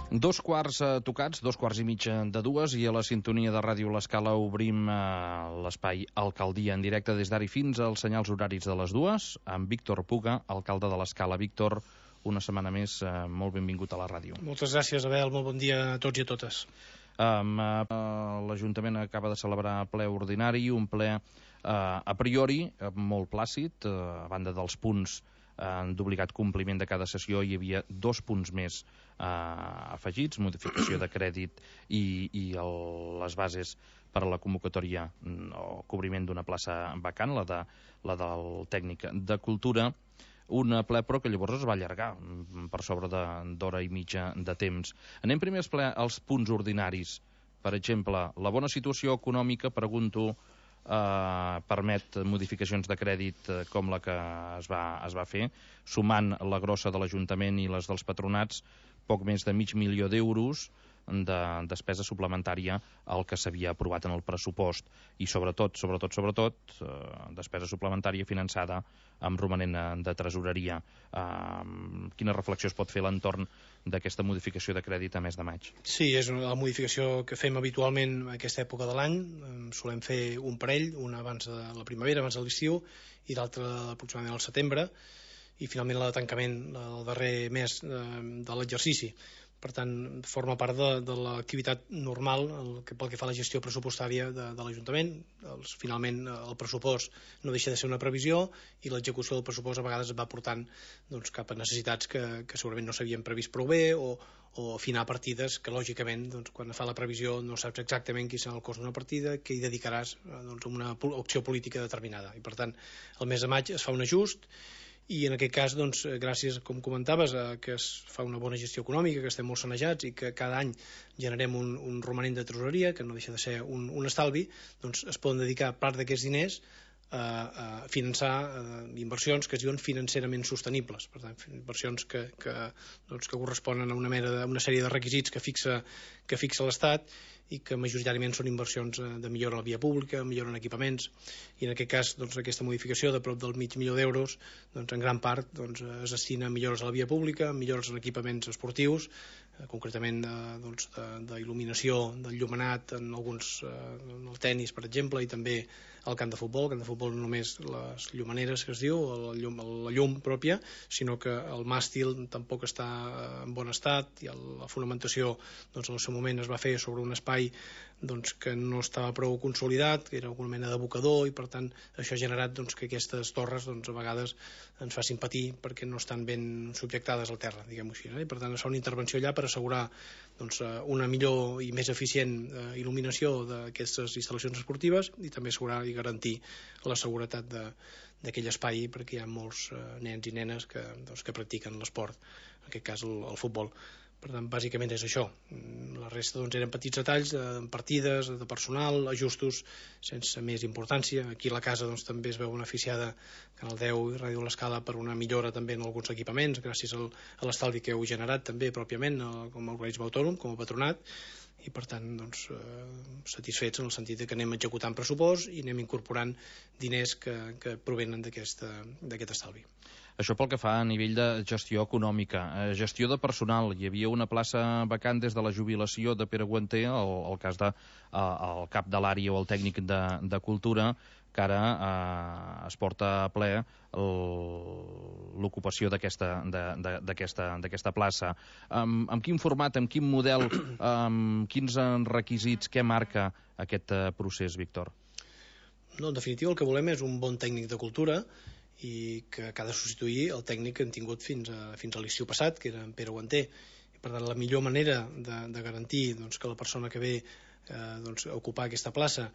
Dos quarts tocats, 2:15 i a la sintonia de Ràdio L'Escala obrim l'espai Alcaldia en directe des d'ara fins als senyals horaris de les dues amb Víctor Puga, alcalde de l'Escala. Víctor, una setmana més, molt benvingut a la ràdio. Moltes gràcies, Abel, molt bon dia a tots i a totes. L'Ajuntament acaba de celebrar ple ordinari, un ple a priori molt plàcid, a banda dels punts d'obligat compliment de cada sessió hi havia 2 punts més afegits, modificació de crèdit i les bases per a la convocatòria o cobriment d'una plaça vacant, la del tècnic de cultura. Un ple però que llavors es va allargar per sobre d'hora i mitja de temps. Anem primer als punts ordinaris. Per exemple, la bona situació econòmica, pregunto, permet modificacions de crèdit com la que es va fer, sumant la grossa de l'Ajuntament i les dels patronats, poc més de $500.000 de despesa suplementària al que s'havia aprovat en el pressupost i sobretot despesa suplementària finançada amb romanent de tresoreria. Quina reflexió es pot fer a l'entorn d'aquesta modificació de crèdit a mes de maig? Sí, és la modificació que fem habitualment a aquesta època de l'any. Solem fer un parell, una abans de la primavera, abans de l'estiu, i l'altra aproximadament al setembre, i finalment la de tancament el darrer mes de l'exercici. Per tant, forma part de l'activitat normal pel que fa a la gestió pressupostària de l'Ajuntament. Finalment, el pressupost no deixa de ser una previsió i l'execució del pressupost a vegades va portant cap a necessitats que segurament no s'havien previst prou bé o afinar partides que, lògicament, quan fa la previsió no saps exactament quin serà el cost d'una partida, què hi dedicaràs a una opció política determinada. I, per tant, el mes de maig es fa un ajust i en aquest cas, gràcies, com comentaves, que es fa una bona gestió econòmica, que estem molt sanejats i que cada any generem un romanent de tresoreria, que no deixa de ser un estalvi, es poden dedicar part d'aquests diners a finançar inversions que es diuen financerament sostenibles. Per tant, inversions que corresponen a una sèrie de requisits que fixa l'Estat i que majoritàriament són inversions de millora a la via pública, millora en equipaments, i en aquest cas aquesta modificació de prop del $500.000 en gran part es destina a millores a la via pública, millores en equipaments esportius, concretament d'il·luminació, d'enllumenat en el tennis, per exemple, i també al camp de futbol. El camp de futbol no només les llumaneres que es diu, la llum pròpia, sinó que el màstil tampoc està en bon estat i la fonamentació en el seu moment es va fer sobre un espai que no estava prou consolidat, que era alguna mena d'abocador, i per tant això ha generat que aquestes torres a vegades ens facin patir perquè no estan ben subjectades al terra, diguem-ho així, i per tant es fa una intervenció allà per assegurar una millor i més eficient il·luminació d'aquestes instal·lacions esportives i també assegurar i garantir la seguretat d'aquell espai, perquè hi ha molts nens i nenes que practiquen l'esport, en aquest cas el futbol. Per tant, bàsicament és això. La resta eren petits detalls de partides, de personal, ajustos sense més importància. Aquí la casa també es veu beneficiada, Canal 10 i Ràdio L'Escala, per una millora també en alguns equipaments gràcies a l'estalvi que heu generat també pròpiament com a organisme autònom, com a patronat, i per tant satisfets en el sentit que anem executant pressupost i anem incorporant diners que provenen d'aquest estalvi. Això pel que fa a nivell de gestió econòmica. Gestió de personal. Hi havia una plaça vacant des de la jubilació de Pere Guanter, el cas del cap de l'àrea o el tècnic de cultura, que ara es porta a ple l'ocupació d'aquesta plaça. Amb quin format, amb quin model, amb quins requisits, què marca aquest procés, Víctor? No, en definitiva el que volem és un bon tècnic de cultura i que ha de substituir el tècnic que hem tingut fins a l'estiu passat, que era en Pere Guanter. I per tant la millor manera de garantir que la persona que ve a ocupar aquesta plaça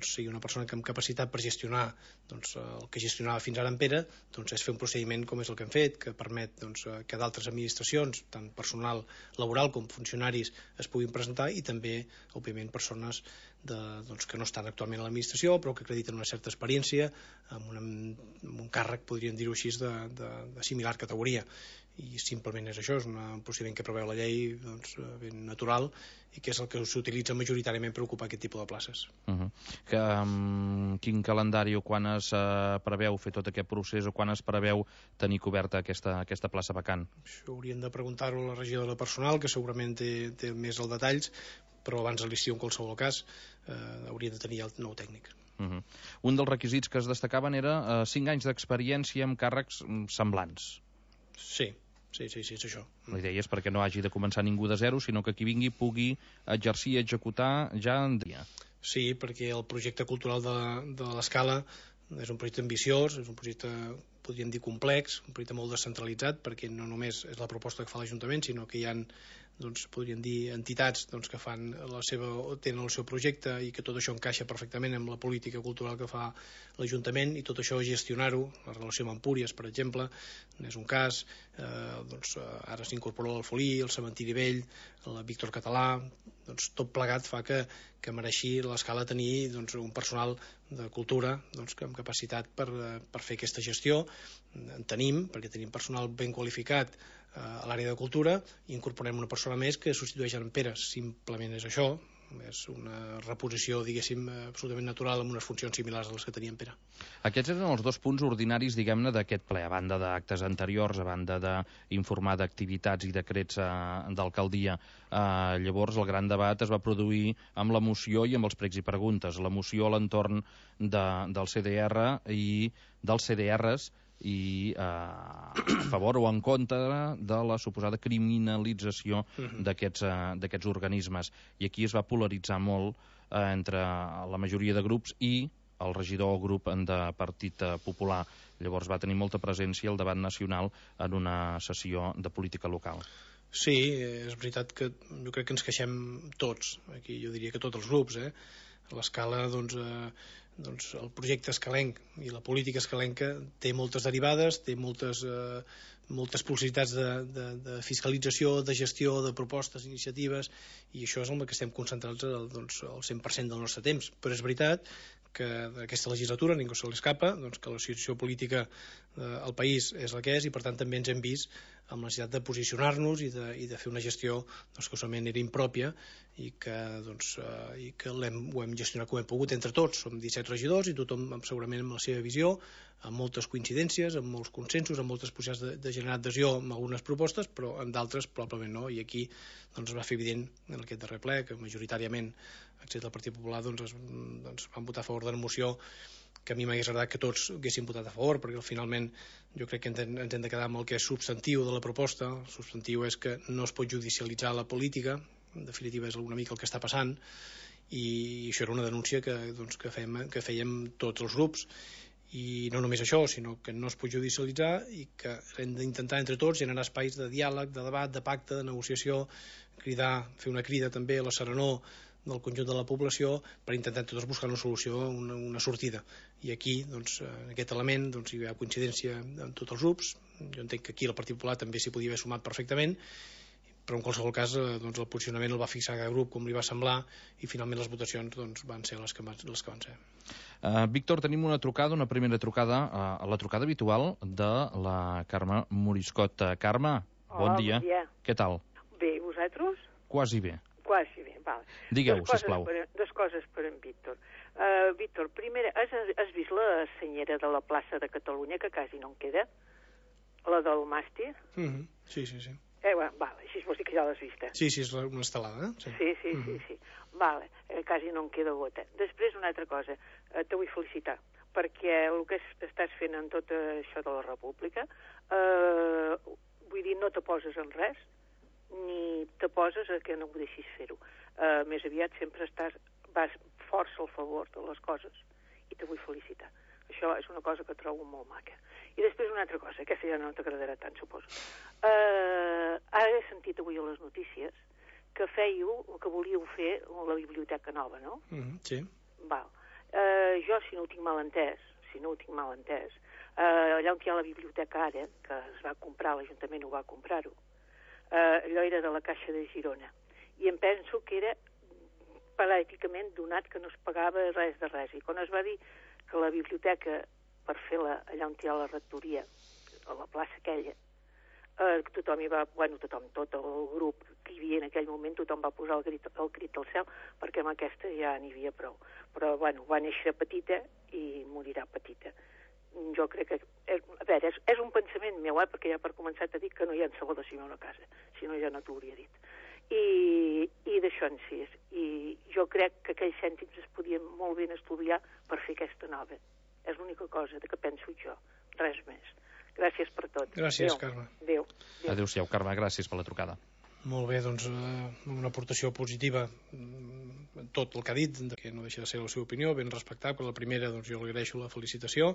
sigui una persona amb capacitat per gestionar el que gestionava fins ara en Pere, és fer un procediment com és el que hem fet, que permet que d'altres administracions, tant personal laboral com funcionaris, es puguin presentar, i també òbviament persones que no estan actualment a l'administració però que acrediten una certa experiència amb un càrrec, podríem dir-ho així, de similar categoria, i simplement és això, és un procediment que preveu la llei ben natural i que és el que s'utilitza majoritàriament per ocupar aquest tipus de places. Quin calendari o quan es preveu fer tot aquest procés o quan es preveu tenir coberta aquesta plaça vacant? Això hauríem de preguntar-ho a la regidora de personal, que segurament té més els detalls, però abans de l'estiu, en qualsevol cas, hauria de tenir el nou tècnic. Un dels requisits que es destacaven era 5 anys d'experiència amb càrrecs semblants. Sí, és això. La idea és perquè no hagi de començar ningú de zero, sinó que qui vingui pugui exercir i executar ja en dia. Sí, perquè el projecte cultural de l'Escala és un projecte ambiciós, és un projecte, podríem dir, complex, un projecte molt descentralitzat, perquè no només és la proposta que fa l'Ajuntament, sinó que hi ha, podríem dir, entitats que tenen el seu projecte i que tot això encaixa perfectament amb la política cultural que fa l'Ajuntament, i tot això gestionar-ho, la relació amb Empúries, per exemple, és un cas, ara s'incorpora l'Alfolí, el Cementiri Vell, el Víctor Català, tot plegat fa que mereixi l'Escala tenir un personal de cultura amb capacitat per fer aquesta gestió. En tenim, perquè tenim personal ben qualificat a l'àrea de cultura, i incorporem una persona més que substitueix en Pere. Simplement és això, és una reposició, diguéssim, absolutament natural amb unes funcions similars a les que tenia en Pere. Aquests eren els 2 punts ordinaris, diguem-ne, d'aquest ple, a banda d'actes anteriors, a banda d'informar d'activitats i decrets d'alcaldia. Llavors, el gran debat es va produir amb la moció i amb els pregs i preguntes. La moció a l'entorn del CDR i dels CDRs, i a favor o en contra de la suposada criminalització d'aquests organismes. I aquí es va polaritzar molt entre la majoria de grups i el regidor o grup de Partit Popular. Llavors va tenir molta presència el debat nacional en una sessió de política local. Sí, és veritat que jo crec que ens queixem tots, aquí jo diria que tots els grups, l'Escala, el projecte escalenc i la política escalenca té moltes derivades, té moltes possibilitats de fiscalització, de gestió, de propostes, iniciatives, i això és en el que estem concentrats el 100% del nostre temps. Però és veritat que aquesta legislatura, ningú se l'escapa, que la situació política al país és la que és, i per tant també ens hem vist amb la necessitat de posicionar-nos i de fer una gestió que solament era impròpia i que ho hem gestionat com hem pogut entre tots. Som 17 regidors i tothom segurament amb la seva visió, amb moltes coincidències, amb molts consensos, amb moltes possibilitats de generar adhesió amb algunes propostes, però en d'altres probablement no, i aquí es va fer evident en aquest darrer ple que majoritàriament, excepte el Partit Popular, van votar a favor de la moció, que a mi m'hagués agradat que tots haguessin votat a favor, perquè finalment jo crec que ens hem de quedar amb el que és substantiu de la proposta. El substantiu és que no es pot judicialitzar la política, en definitiva és una mica el que està passant, i això era una denúncia que fèiem tots els grups, i no només això, sinó que no es pot judicialitzar i que hem d'intentar entre tots generar espais de diàleg, de debat, de pacte, de negociació, fer una crida també a la serenor del conjunt de la població per intentar tots buscar una solució, una sortida. I aquí, en aquest element, hi ha coincidència en tots els grups. Jo entenc que aquí el Partit Popular també s'hi podia haver sumat perfectament, però en qualsevol cas el posicionament el va fixar cada grup com li va semblar, i finalment les votacions van ser les que van ser. Víctor, tenim una primera trucada, la trucada habitual de la Carme Moriscot. Carme, bon dia. Què tal? Bé, i vosaltres? Quasi bé. Quasi bé, val. Digueu, sisplau. Dues coses per en Víctor. Víctor, primera, has vist la senyera de la plaça de Catalunya, que quasi no en queda? La del màstir? Sí. Vale, així vols dir que ja l'has vista. Sí, és una estelada, Sí. Vale, quasi no en queda gota. Després, una altra cosa, te vull felicitar, perquè el que estàs fent en tot això de la República, vull dir, no te poses en res, ni te poses a que no ho deixis fer-ho. Més aviat sempre vas força al favor de les coses, i te vull felicitar. Això és una cosa que trobo molt maca. I després una altra cosa, aquesta ja no t'agradarà tant, suposo. Ara he sentit avui a les notícies que volíeu fer la biblioteca nova, no? Sí. Val. Jo, si no ho tinc mal entès, allà on hi ha la biblioteca ara, que es va comprar, l'Ajuntament ho va comprar-ho, allò era de la Caixa de Girona, i em penso que era pràcticament donat, que no es pagava res de res. I quan es va dir que la biblioteca, per fer-la allà on hi ha la rectoria, a la plaça aquella, tothom hi va, tothom, tot el grup que hi havia en aquell moment, tothom va posar el crit al cel, perquè amb aquesta ja n'hi havia prou. Però, va néixer petita i morirà petita. Jo crec que, a veure, és un pensament meu, perquè ja per començar t'he dit que no hi ha salvació a una casa, si no ja no t'ho hauria dit. I d'això en si. I jo crec que aquells cèntims es podien molt ben estudiar per fer aquesta nova. És l'única cosa que penso jo, res més. Gràcies per tot. Gràcies, Carme. Adéu. Adéu-siau, Carme, gràcies per la trucada. Molt bé, doncs una aportació positiva tot el que ha dit, que no deixa de ser la seva opinió, ben respectable. La primera, doncs jo li agraeixo la felicitació,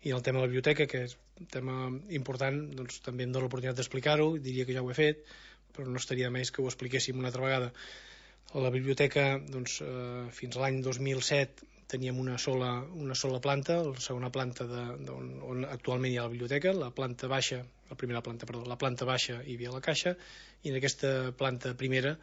i el tema de la biblioteca, que és un tema important, doncs també em dóna l'oportunitat d'explicar-ho, diria que ja ho he fet, però no estaria més que ho expliquéssim una altra vegada. A la biblioteca, doncs, fins a l'any 2007 teníem una sola planta, la segona planta on actualment hi ha la biblioteca, la planta baixa hi havia la caixa, i en aquesta planta primera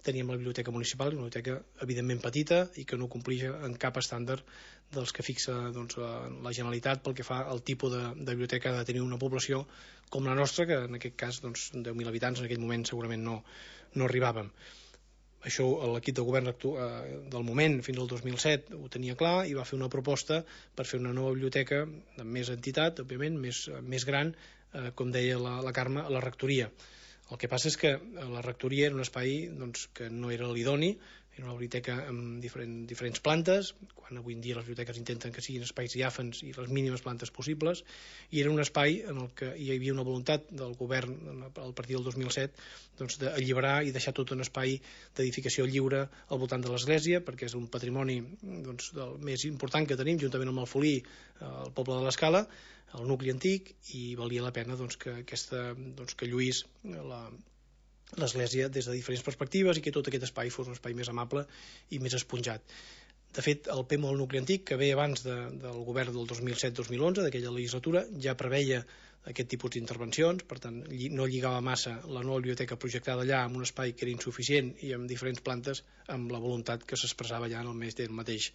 teníem la biblioteca municipal, una biblioteca evidentment petita i que no compleix en cap estàndard dels que fixa la Generalitat pel que fa al tipus de biblioteca ha de tenir una població com la nostra, que en aquest cas 10.000 habitants, en aquell moment segurament no arribàvem. Això l'equip de govern del moment fins al 2007 ho tenia clar i va fer una proposta per fer una nova biblioteca amb més entitat, òbviament, més gran, com deia la Carme, a la rectoria. El que passa és que la rectoria era un espai que no era l'idoni, era una biblioteca amb diferents plantes, quan avui en dia les biblioteques intenten que siguin espais diàfans i les mínimes plantes possibles, i era un espai en el que hi havia una voluntat del govern a partir del 2007 d'alliberar i deixar tot un espai d'edificació lliure al voltant de l'església, perquè és un patrimoni del més important que tenim, juntament amb el Folí, el poble de l'Escala, el nucli antic, i valia la pena que lluís l'església des de diferents perspectives i que tot aquest espai fos un espai més amable i més esponjat. De fet, el PEMO del nucli antic, que ve abans del govern del 2007-2011, d'aquella legislatura, ja preveia aquest tipus d'intervencions, per tant, no lligava massa la nova biblioteca projectada allà amb un espai que era insuficient i amb diferents plantes, amb la voluntat que s'expressava allà en el mateix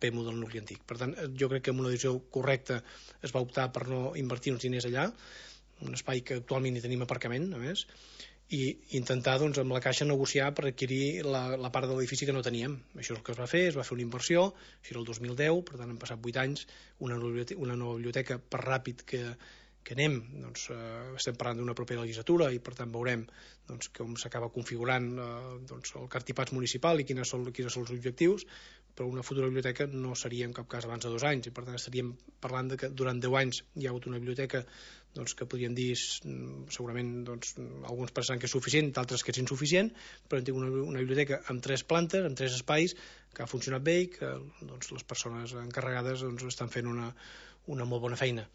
PEMO del nucli antic. Per tant, jo crec que amb una decisió correcta es va optar per no invertir uns diners allà, un espai que actualment hi tenim aparcament, a més, i intentar amb la Caixa negociar per adquirir la part de l'edifici que no teníem. Això és el que es va fer una inversió, això era el 2010, per tant han passat 8 anys, una nova biblioteca, per ràpid que anem, estem parlant d'una propera legislatura i per tant veurem com s'acaba configurant el cartipàs municipal i quins són els objectius, però una futura biblioteca no seria en cap cas abans de 2 anys, i per tant estaríem parlant que durant 10 anys hi ha hagut una biblioteca que podríem dir segurament alguns pensaran que és suficient, d'altres que és insuficient, però hem tingut una biblioteca amb 3 plantes, amb 3 espais, que ha funcionat bé i que les persones encarregades estan fent una molt bona feina.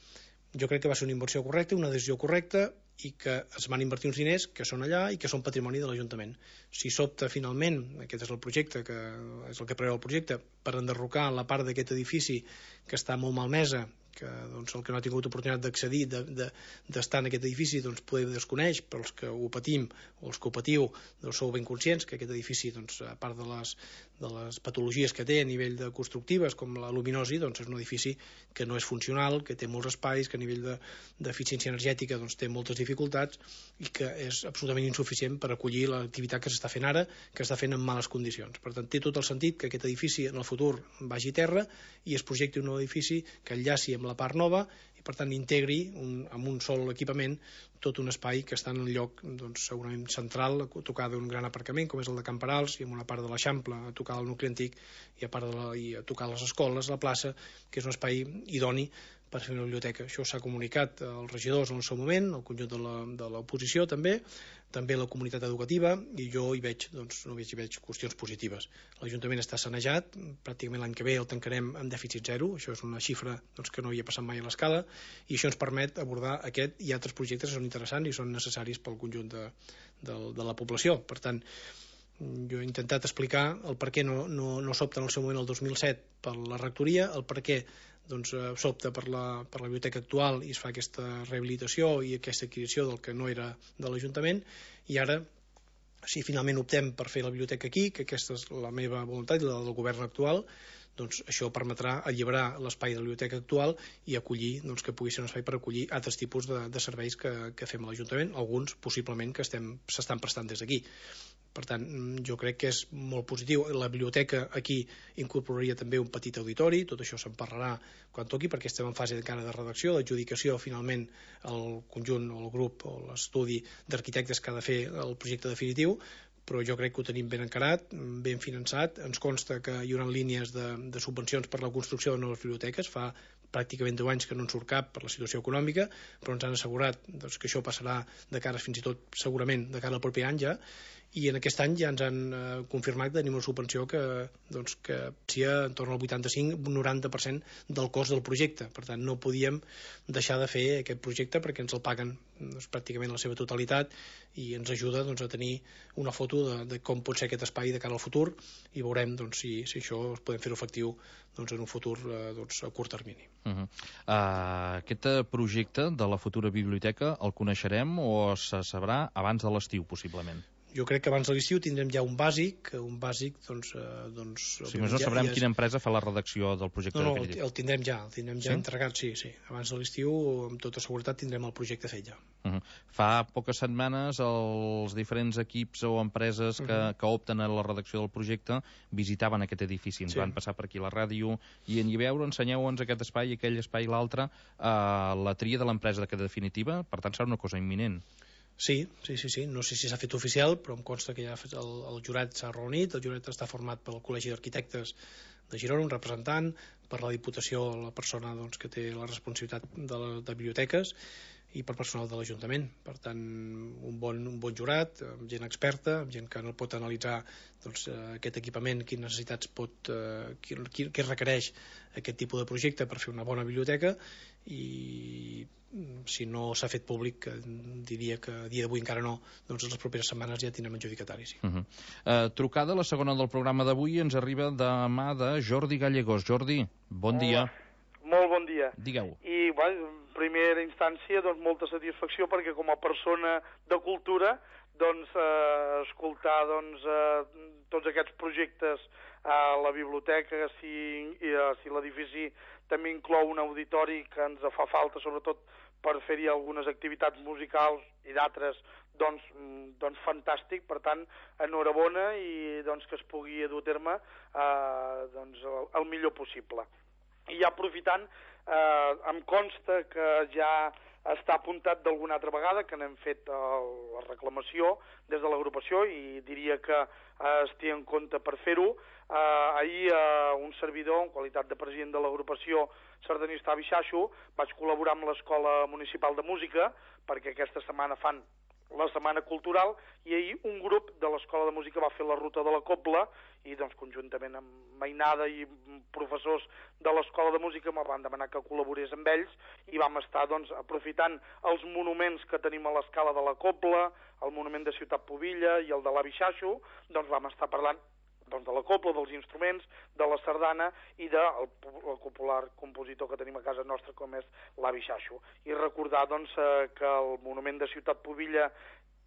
Jo crec que va ser una inversió correcta, una decisió correcta, i que es van invertir uns diners que són allà i que són patrimoni de l'Ajuntament. Si s'opta finalment, aquest és el projecte, que és el que preveu el projecte, per enderrocar la part d'aquest edifici que està molt malmesa, que el que no ha tingut oportunitat d'accedir, d'estar en aquest edifici, poder desconeix, però els que ho patim o els que ho patiu sou ben conscients que aquest edifici, a part de les patologies que té a nivell de constructives, com la luminosi, és un edifici que no és funcional, que té molts espais, que a nivell d'eficiència energètica té moltes dificultats i que és absolutament insuficient per acollir l'activitat que s'està fent ara, que està fent en males condicions. Per tant, té tot el sentit que aquest edifici en el futur vagi a terra i es projecti un nou edifici que enllaci amb la part nova i per tant integri amb un sol equipament tot un espai que està en un lloc segurament central, a tocar d'un gran aparcament com és el de Camperals i amb una part de l'Eixample a tocar del nucli antic i a tocar les escoles, la plaça, que és un espai idoni per fer una biblioteca. Això s'ha comunicat als regidors en el seu moment, al conjunt de l'oposició també la comunitat educativa, i jo hi veig qüestions positives. L'Ajuntament està sanejat, pràcticament l'any que ve el tancarem amb dèficit zero, això és una xifra que no hi ha passat mai a l'Escala, i això ens permet abordar aquest i altres projectes que són interessants i són necessaris pel conjunt de la població. Per tant, jo he intentat explicar el per què no s'opta en el seu moment el 2007 per la rectoria, el per què s'opta per la biblioteca actual i es fa aquesta rehabilitació i aquesta adquisició del que no era de l'Ajuntament, i ara Si finalment optem per fer la biblioteca aquí, que aquesta és la meva voluntat i la del govern actual, doncs això permetrà alliberar l'espai de la biblioteca actual i acollir, doncs, que pugui ser un espai per acollir altres tipus de serveis que fem a l'Ajuntament, alguns possiblement que s'estan prestant des d'aquí. Per tant, jo crec que és molt positiu. La biblioteca aquí incorporaria també un petit auditori, tot això se'n parlarà quan toqui, perquè estem en fase encara de redacció, d'adjudicació, finalment el conjunt o el grup o l'estudi d'arquitectes que ha de fer el projecte definitiu, però jo crec que ho tenim ben encarat, ben finançat. Ens consta que hi haurà línies de subvencions per la construcció de noves biblioteques. Fa pràcticament 10 anys que no en surt cap per la situació econòmica, però ens han assegurat doncs, que això passarà de cara fins i tot segurament de cara al proper any ja, i en aquest any ja ens han confirmat que tenim una subvenció que sia en torn al 85-90% del cost del projecte. Per tant, no podíem deixar de fer aquest projecte perquè ens el paguen pràcticament la seva totalitat i ens ajuda a tenir una foto de com pot ser aquest espai de cara al futur, i veurem si això podem fer-ho efectiu en un futur a curt termini. Aquest projecte de la futura biblioteca el coneixerem o se sabrà abans de l'estiu, possiblement? Jo crec que abans de l'estiu tindrem ja un bàsic, Si més no sabrem quina empresa fa la redacció del projecte definitiu. El tindrem ja entregat, sí. Abans de l'estiu, amb tota seguretat, tindrem el projecte fet ja. Fa poques setmanes els diferents equips o empreses que opten a la redacció del projecte visitaven aquest edifici, ens van passar per aquí a la ràdio i en veure, ensenyeu-nos aquest espai, aquell espai i l'altre, la tria de l'empresa que definitiva, per tant serà una cosa imminent. Sí. No sé si s'ha fet oficial, però em consta que ja el jurat s'ha reunit. El jurat està format pel Col·legi d'Arquitectes de Girona, un representant, per la Diputació, la persona que té la responsabilitat de biblioteques, i per personal de l'Ajuntament. Per tant, un bon jurat, amb gent experta, amb gent que no pot analitzar aquest equipament, quines necessitats què requereix aquest tipus de projecte per fer una bona biblioteca, i si no s'ha fet públic, diria que a dia d'avui encara no, doncs en les properes setmanes ja tindrem adjudicataris. Trucada, la segona del programa d'avui, ens arriba de mà de Jordi Gallegos. Jordi, bon dia. Molt bon dia. Digueu. I, en primera instància, molta satisfacció, perquè com a persona de cultura, escoltar tots aquests projectes a la biblioteca, si l'edifici també inclou un auditori que ens fa falta, sobretot per fer-hi algunes activitats musicals i d'altres, doncs fantàstic. Per tant, enhorabona, i que es pugui dur a terme el millor possible. I ja aprofitant, em consta que ja està apuntat d'alguna altra vegada, que n'hem fet la reclamació des de l'agrupació, i diria que es té en compte per fer-ho. Ahir un servidor, en qualitat de president de l'agrupació sardanista Abixaixo, vaig col·laborar amb l'Escola Municipal de Música, perquè aquesta setmana fan la Setmana Cultural, i ahir un grup de l'Escola de Música va fer la ruta de la Cobla, i conjuntament amb Mainada i professors de l'Escola de Música me van demanar que col·laborés amb ells, i vam estar aprofitant els monuments que tenim a l'escala de la Cobla, el monument de Ciutat Pubilla i el de l'Abixaixo, vam estar parlant de la cobla, dels instruments, de la sardana i del popular compositor que tenim a casa nostra, com és l'Abixaixo. I recordar que el monument de Ciutat Pubilla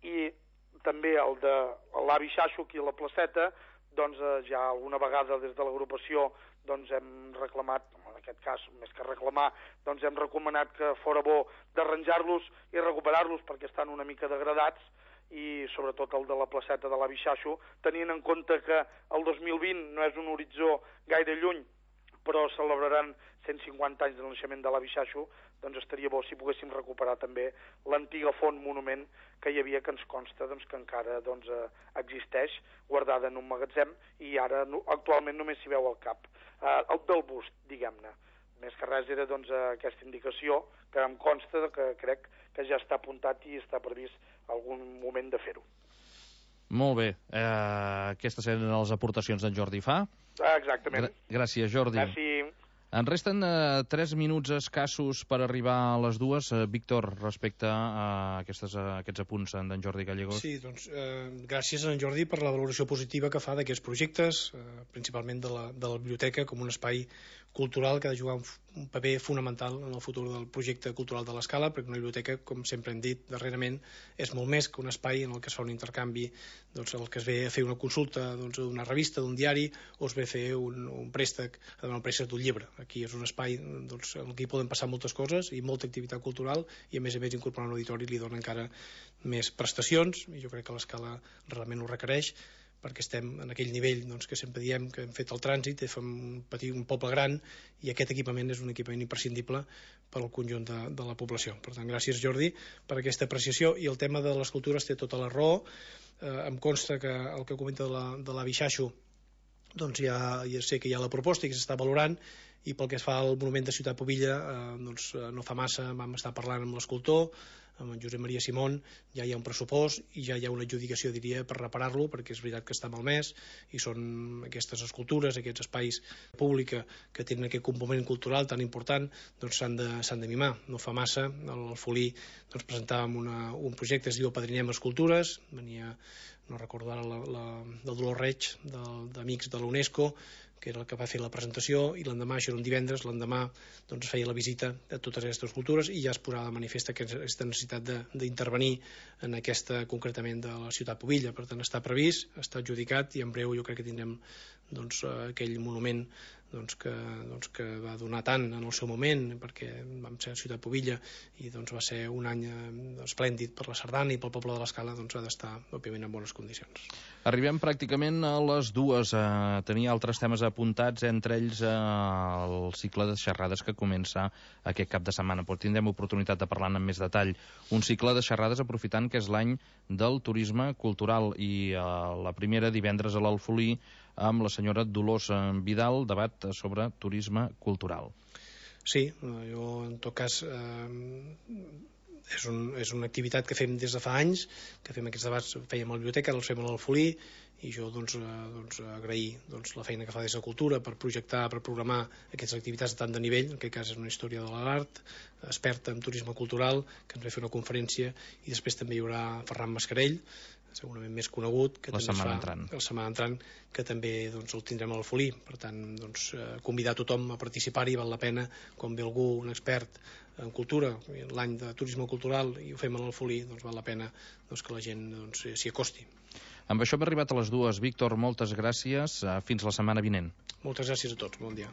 i també el de l'Abixaixo aquí a la placeta, ja alguna vegada des de l'agrupació hem reclamat, en aquest cas, més que reclamar, hem recomanat que fora bo d'arranjar-los i recuperar-los perquè estan una mica degradats, i sobretot el de la placeta de l'Abixaixo, tenint en compte que el 2020 no és un horitzó gaire lluny, però celebraran 150 anys del naixement de l'Abixaixo, doncs estaria bo si poguéssim recuperar també l'antiga font monument que hi havia, que ens consta que encara existeix, guardada en un magatzem, i ara actualment només s'hi veu al cap. El del bust, diguem-ne. Més que res era aquesta indicació, que em consta que crec que ja està apuntat i està previst algun moment de fer-ho. Molt bé. Aquestes eren les aportacions d'en Jordi Fa. Exactament. Gràcies, Jordi. Gràcies. En resten 3 minuts escassos per arribar a les 2. Víctor, respecte a aquests apunts d'en Jordi Gallegos. Sí, gràcies a en Jordi per la valoració positiva que fa d'aquests projectes, principalment de la biblioteca com un espai cultural que ha de jugar un paper fonamental en el futur del projecte cultural de l'Escala, perquè una biblioteca, com sempre hem dit darrerament, és molt més que un espai en el que es fa un intercanvi, doncs, el que es ve a fer una consulta d'una revista, d'un diari, o es ve a fer un préstec, a demanar un préstec d'un llibre. Aquí és un espai en el que hi poden passar moltes coses i molta activitat cultural, i a més incorporar un auditori li dona encara més prestacions, i jo crec que l'Escala realment ho requereix, perquè estem en aquell nivell que sempre diem que hem fet el trànsit, fem un poble gran, i aquest equipament és un equipament imprescindible per al conjunt de la població. Per tant, gràcies, Jordi, per aquesta apreciació. I el tema de les cultures té tota la raó. Em consta que el que comenta de l'avi Xaixo, doncs ja sé que hi ha la proposta i que s'està valorant, i pel que es fa al monument de Ciutat Pobilla, no fa massa vam estar parlant amb l'escultor, amb en Josep Maria Simón, ja hi ha un pressupost i ja hi ha una adjudicació, diria, per reparar-lo, perquè és veritat que està malmès, i són aquestes escultures, aquests espais públics que tenen aquest component cultural tan important, doncs s'han de mimar. No fa massa, al Folí presentàvem un projecte, es diu Apadrinem Escultures, venia, no recordo ara, del Dolors Reig, d'Amics de l'UNESCO, que era el que va fer la presentació, i l'endemà, això era un divendres, l'endemà feia la visita a totes aquestes cultures i ja es posava de manifest aquesta necessitat d'intervenir en aquesta, concretament, de la Ciutat Pobilla. Per tant, està previst, està adjudicat, i en breu jo crec que tindrem aquell monument que va donar tant en el seu moment, perquè vam ser a Ciutat Pobilla i va ser un any esplèndid per la sardana, i pel poble de l'Escala ha d'estar, òbviament, en bones condicions. Arribem pràcticament a les 2. Tenia altres temes apuntats, entre ells el cicle de xerrades que comença aquest cap de setmana, però tindrem oportunitat de parlar amb més detall. Un cicle de xerrades aprofitant que és l'any del turisme cultural, i la primera divendres a l'Alfolí amb la senyora Dolors Vidal, debat sobre turisme cultural. Sí, jo en tot cas és una activitat que fem des de fa anys, que fem aquests debats, fèiem a la biblioteca, ara els fem a l'Alfolí, i jo agrair la feina que fa des de Cultura per projectar, per programar aquestes activitats de tant de nivell. En aquest cas és una història de l'art, experta en turisme cultural, que ens va fer una conferència, i després també hi haurà Ferran Mascarell, segurament més conegut, que la setmana entrant, que també el tindrem a l'Alfolí. Per tant, convidar tothom a participar-hi, val la pena. Quan ve algú, un expert en cultura, l'any de turisme cultural, i ho fem a l'Alfolí, val la pena que la gent s'hi acosti. Amb això hem arribat a les 2. Víctor, moltes gràcies. Fins la setmana vinent. Moltes gràcies a tots. Bon dia.